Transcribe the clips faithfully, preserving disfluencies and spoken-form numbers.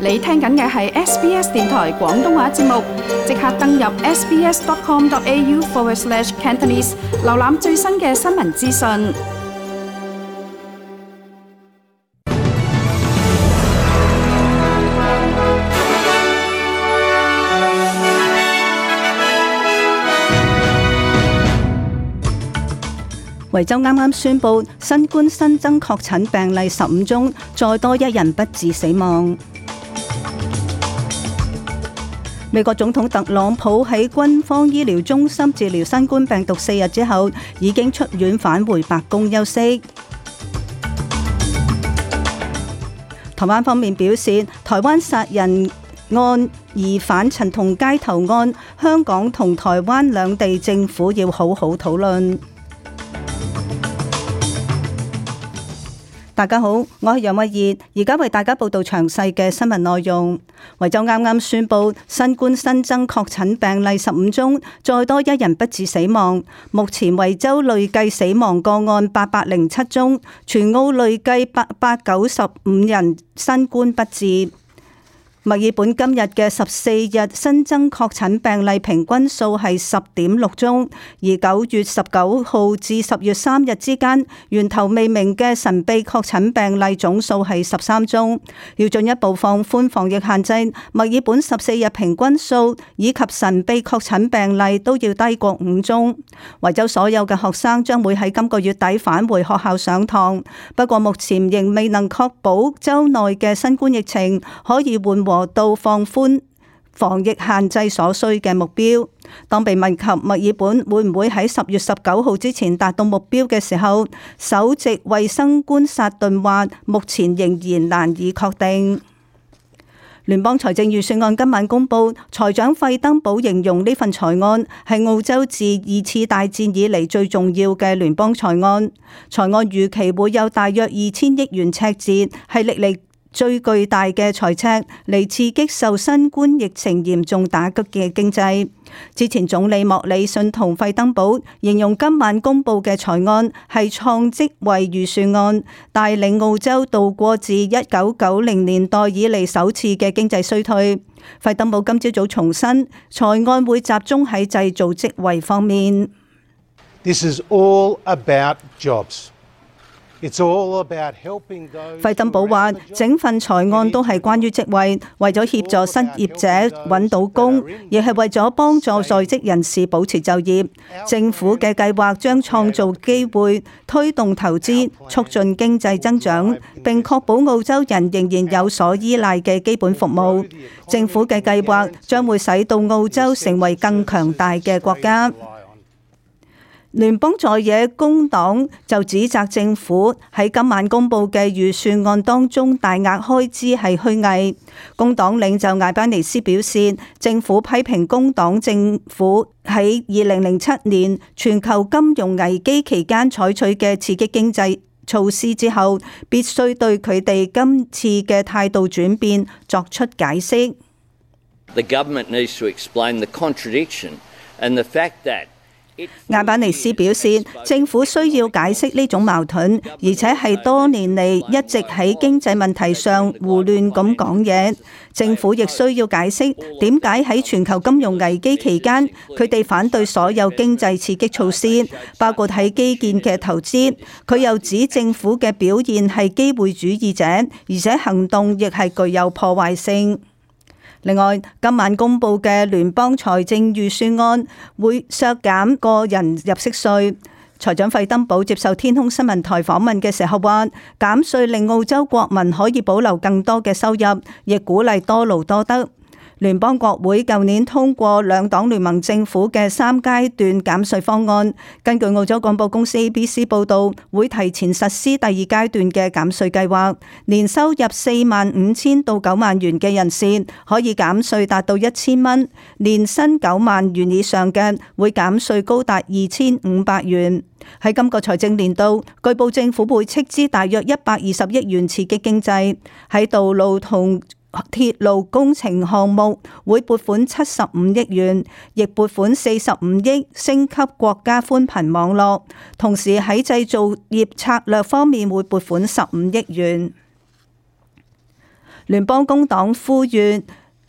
你聽緊嘅係 S B S 電台廣東話節目，即刻登入 sbs.com.au forward slash Cantonese， 瀏覽最新嘅新聞資訊。維州啱啱宣布新冠新增確診病例十五宗，再多一人不治死亡。美國總統特朗普喺軍方醫療中心治療新冠病毒四日之後，已經出院返回白宮休息。台灣方面表示，台灣殺人案疑犯陳同佳投案，香港同台灣兩地政府要好好討論。大家好，我係楊慧儀，而家為大家報道詳細嘅新聞內容。維州啱啱宣布新冠新增確診病例十五宗，再多一人不治死亡。目前維州累計死亡個案八百零七宗，全澳累計八百九十五人新冠不治。墨爾本今日嘅十四日新增確診病例平均數係十點六宗，而九月十九號至十月三日之間源頭未明嘅神秘確診病例總數係十三宗。要進一步放寬防疫限制，墨爾本十四日平均數以及神秘確診病例都要低過五宗。維州所有嘅學生將會喺今個月底返回學校上堂，不過目前仍未能確保州內嘅新冠疫情可以緩和到放寬防疫限制所需嘅目標。當被問及墨爾本會唔會喺十月十九號之前達到目標嘅時候，首席衛生官薩頓話，目前仍然難以確定。聯邦財政預算案今晚公布，財長費登堡形容呢份財案係澳洲自二次大戰以嚟最重要嘅聯邦財案。財案預期會有大約二千億元赤字，係歷嚟最巨大嘅財赤，嚟刺激受新冠疫情嚴重打擊嘅經濟。之前總理莫里遜同費登堡形容今晚公布嘅財案係創職位預算案，帶領澳洲度過自一九九零年代以嚟首次嘅經濟衰退。費登堡今朝早重申，財案會集中喺製造職位方面。This is all about jobs.費登堡話：整份財案都係關於職位，為咗協助失業者揾到工，亦係為咗幫助在職人士保持就業。政府嘅計劃將創造機會，推動投資，促進經濟增長，並確保澳洲人仍然有所依賴嘅基本服務。政府嘅計劃將會使到澳洲成為更強大嘅國家。聯邦在野工黨就指責政府喺今晚公布嘅預算案當中大額開支係虛偽。工黨領袖艾班尼斯表示，政府批評工黨政府喺二零零七年全球金融危機期間採取嘅刺激經濟措施之後，必須對佢哋今次嘅態度轉變作出解釋。The government needs to explain the contradiction and the fact that艾班尼斯表示，政府需要解釋呢種矛盾，而且係多年嚟一直喺經濟問題上胡亂咁講嘢。政府亦需要解釋點解喺全球金融危機期間，佢哋反對所有經濟刺激措施，包括喺基建嘅投資。佢又指政府嘅表現係機會主義者，而且行動亦係具有破壞性。另外，今晚公布嘅聯邦財政預算案會削減個人入息稅。財長費登堡接受天空新聞台訪問嘅時候話，減稅令澳洲國民可以保留更多嘅收入，亦鼓勵多勞多得。聯邦國會舊年通過兩黨聯盟政府嘅三階段減稅方案，根據澳洲廣播公司 A B C 報導，會提前實施第二階段嘅減稅計劃。年收入四萬五千到九萬元嘅人士可以減稅達到一千蚊，年薪九萬元以上嘅會減稅高達二千五百元。喺今個財政年度，據報政府會斥資大約一百二十億元刺激經濟，喺道路同鐵路工程項目會撥款七十五億元，亦撥款四十五億升級國家寬頻網絡，同時喺製造業策略方面會撥款十五億元。聯邦工黨呼籲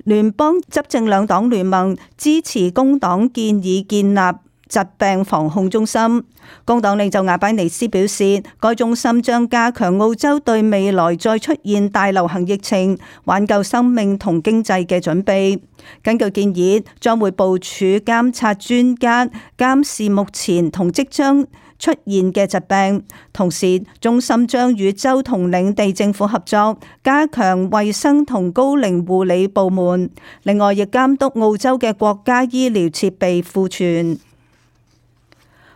聯邦執政兩黨聯盟支持工黨建議建立疾病防控中心。工黨領袖亞拜尼斯表示，該中心將加強澳洲對未來再出現大流行疫情、挽救生命同經濟嘅準備。根據建議，將會部署監察專家監視目前同即將出現嘅疾病，同時中心將與州同領地政府合作，加強衛生同高齡護理部門。另外，亦監督澳洲嘅國家醫療設備庫存。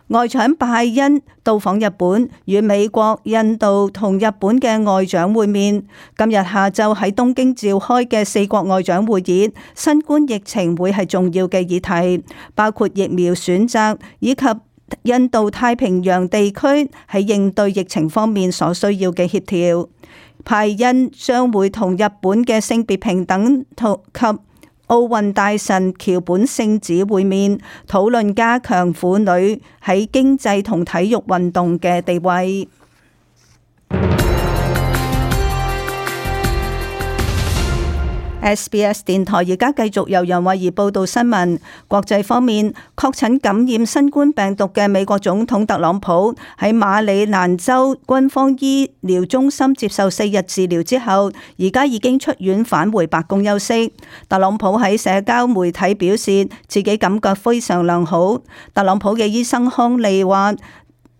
外長拜恩到訪日本，與美國、印度同日本嘅外長會面。今日下晝喺東京召開嘅四國外長會議，新冠疫情會係重要嘅議題，包括疫苗選擇以及印度太平洋地區喺應對疫情方面所需要嘅協調。拜恩將會同日本嘅性別平等及奧運大臣橋本聖子會面，討論加強婦女喺經濟同體育運動嘅地位。S B S 電台而家繼續由楊慧儀報道新聞。國際方面，確診感染新冠病毒嘅美國總統特朗普喺馬里蘭州軍方醫療中心接受四日治療之後，而家已經出院返回白宮休息。特朗普喺社交媒體表示自己感覺非常良好。特朗普嘅醫生康利話，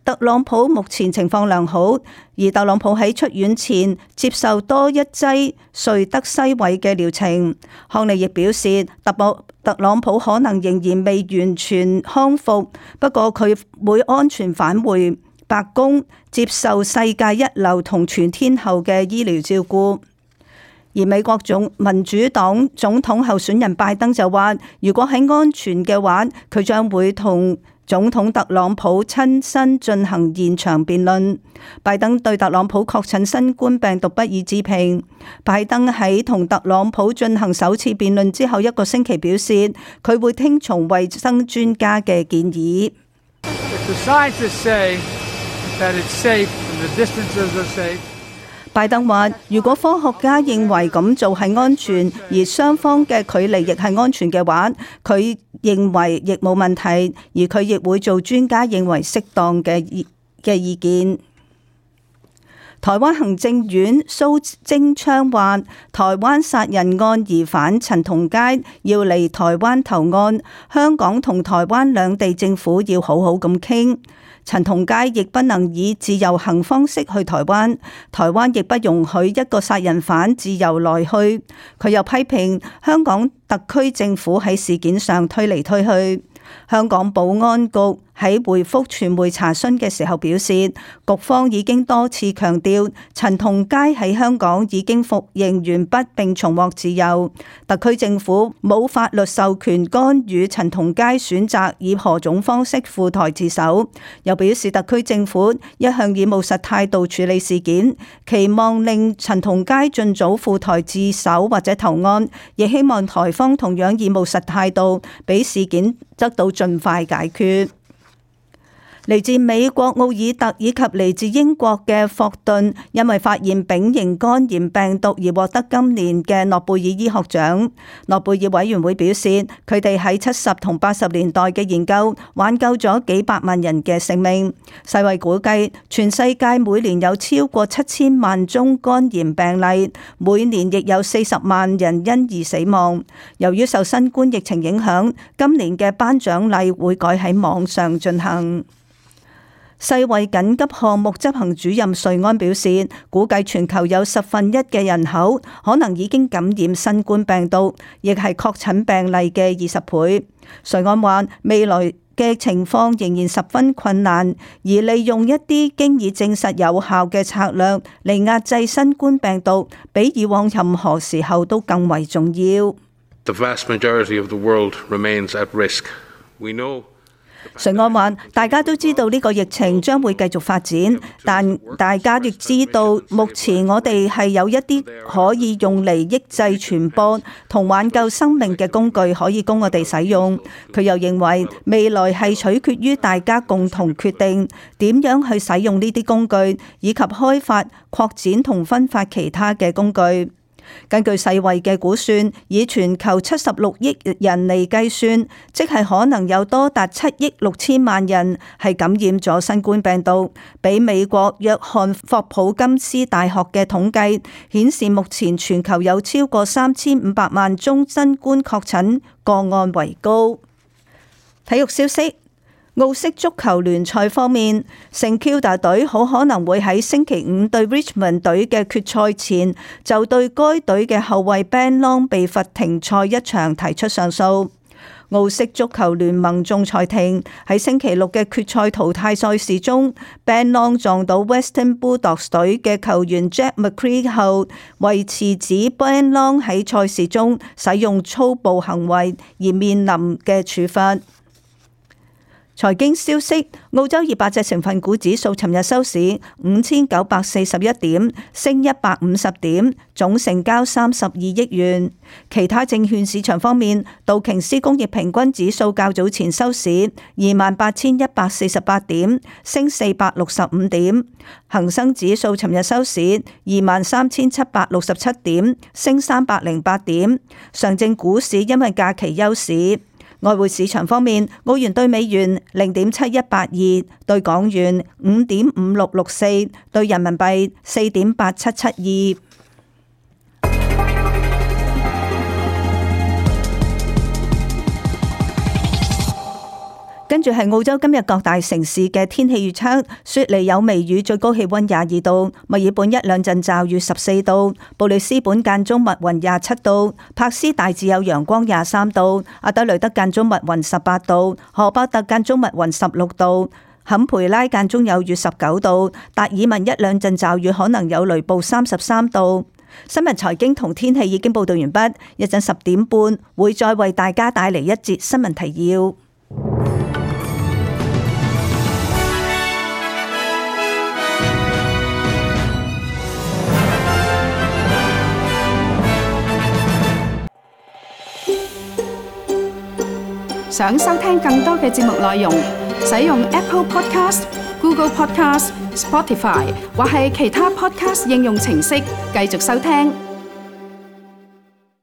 特朗普目前情況良好，而特朗普喺出院前接受多一劑瑞德西韋嘅療程。康利亦表示，特朗特朗普可能仍然未完全康復，不過佢會安全返回白宮接受世界一流同全天候嘅醫療照顧。而美國總民主黨總統候選人拜登就話，如果喺安全嘅話，佢將會同總統特朗普親身進行現場辯論。拜登對特朗普確診新冠病毒不予置評。拜登喺同特朗普進行首次辯論之後一個星期表示，佢會聽從衛生專家嘅建議。拜登話，如果科學家認為咁做係安全，而雙方嘅距離亦係安全嘅話，佢認為亦冇問題，而佢亦會做專家認為適當嘅意嘅意見。台灣行政院蘇貞昌話，台灣殺人案疑犯陳同佳要嚟台灣投案，香港同台灣兩地政府要好好咁傾。陳同佳亦不能以自由行方式去台灣，台灣亦不容許一個殺人犯自由來去。佢又批評香港特區政府喺事件上推嚟推去。香港保安局喺回覆傳媒查詢嘅時候表示，局方已經多次強調陳同佳喺香港已經服刑完畢並重獲自由，特區政府冇法律授權干預陳同佳選擇以何種方式赴台自首。又表示特區政府一向以務實態度處理事件，期望令陳同佳盡早赴台自首或者投案，亦希望台方同樣以務實態度俾事件得到盡快解決。嚟自美國奧爾特以及嚟自英國嘅霍頓，因為發現丙型肝炎病毒而獲得今年嘅諾貝爾醫學獎。諾貝爾委員會表示，佢哋喺七十同八十年代嘅研究挽救咗幾百萬人嘅性命。世衛估計，全世界每年有超過七千萬宗肝炎病例，每年亦有四十萬人因而死亡。由於受新冠疫情影響，今年嘅頒獎禮會改喺網上進行。世衛緊急項目執行主任瑞安表示，估計全球有十分一嘅人口可能已經感染新冠病毒，亦係確診病例嘅二十倍。瑞安話，未來嘅情況仍然十分困難，而利用一啲經已證實有效嘅策略嚟壓制新冠病毒，比以往任何時候都更為重要。The vast majority of the world remains at risk. We know瑞安話，大家都知道呢個疫情將會繼續發展，但大家亦知道目前我哋係有一啲可以用嚟抑制傳播同挽救生命嘅工具可以供我哋使用。佢又認為未來係取決於大家共同決定點樣去使用呢啲工具，以及開發、擴展同分發其他嘅工具。根據世衛嘅估算，以全球七十六億人嚟計算，即係可能有多達七億六千萬人係感染咗新冠病毒。比美國約翰霍普金斯大學嘅統計顯示，目前全球有超過三千五百萬宗新冠確診個案為高。體育消息。澳式足球聯賽方面，聖 Kilda 隊好可能會喺星期五對 Richmond 隊嘅決賽前，就對該隊嘅後衛 Ben Long 被罰停賽一場提出上訴。澳式足球聯盟仲裁庭喺星期六嘅決賽淘汰賽事中 ，Ben Long 撞到 Western Bulldogs 隊嘅球員 Jack McCree 後，維持指 Ben Long 喺賽事中使用粗暴行為而面臨嘅處罰。財經消息：澳洲二百隻成分股指數尋日收市五千九百四十一點，升一百五十點，總成交三十二億元。其他證券市場方面，道瓊斯工業平均指數較早前收市二萬八千一百四十八點，升四百六十五點。恒生指數尋日收市二萬三千七百六十七點，升三百零八點。上證股市因為假期休市。外匯市場方面，澳元兌美元零點七一八二，兌港元五點五六六四，兌人民幣四點八七七二。跟住係澳洲今日各大城市嘅天氣預測：雪梨有微雨，最高氣溫廿二度；墨爾本一兩陣驟雨十四度；布里斯本間中密雲廿七度；柏斯大致有陽光廿三度；阿德雷德間中密雲十八度；荷伯特間中密雲十六度；坎培拉間中有雨十九度；達爾文一兩陣驟雨可能有雷暴三十三度。新聞財經同天氣已經報道完畢，一陣十點半會再為大家帶嚟一節新聞提要。想收聽更多嘅節目內容，使用 Apple Podcast、Google Podcast、Spotify 或係其他 Podcast 應用程式繼續收聽。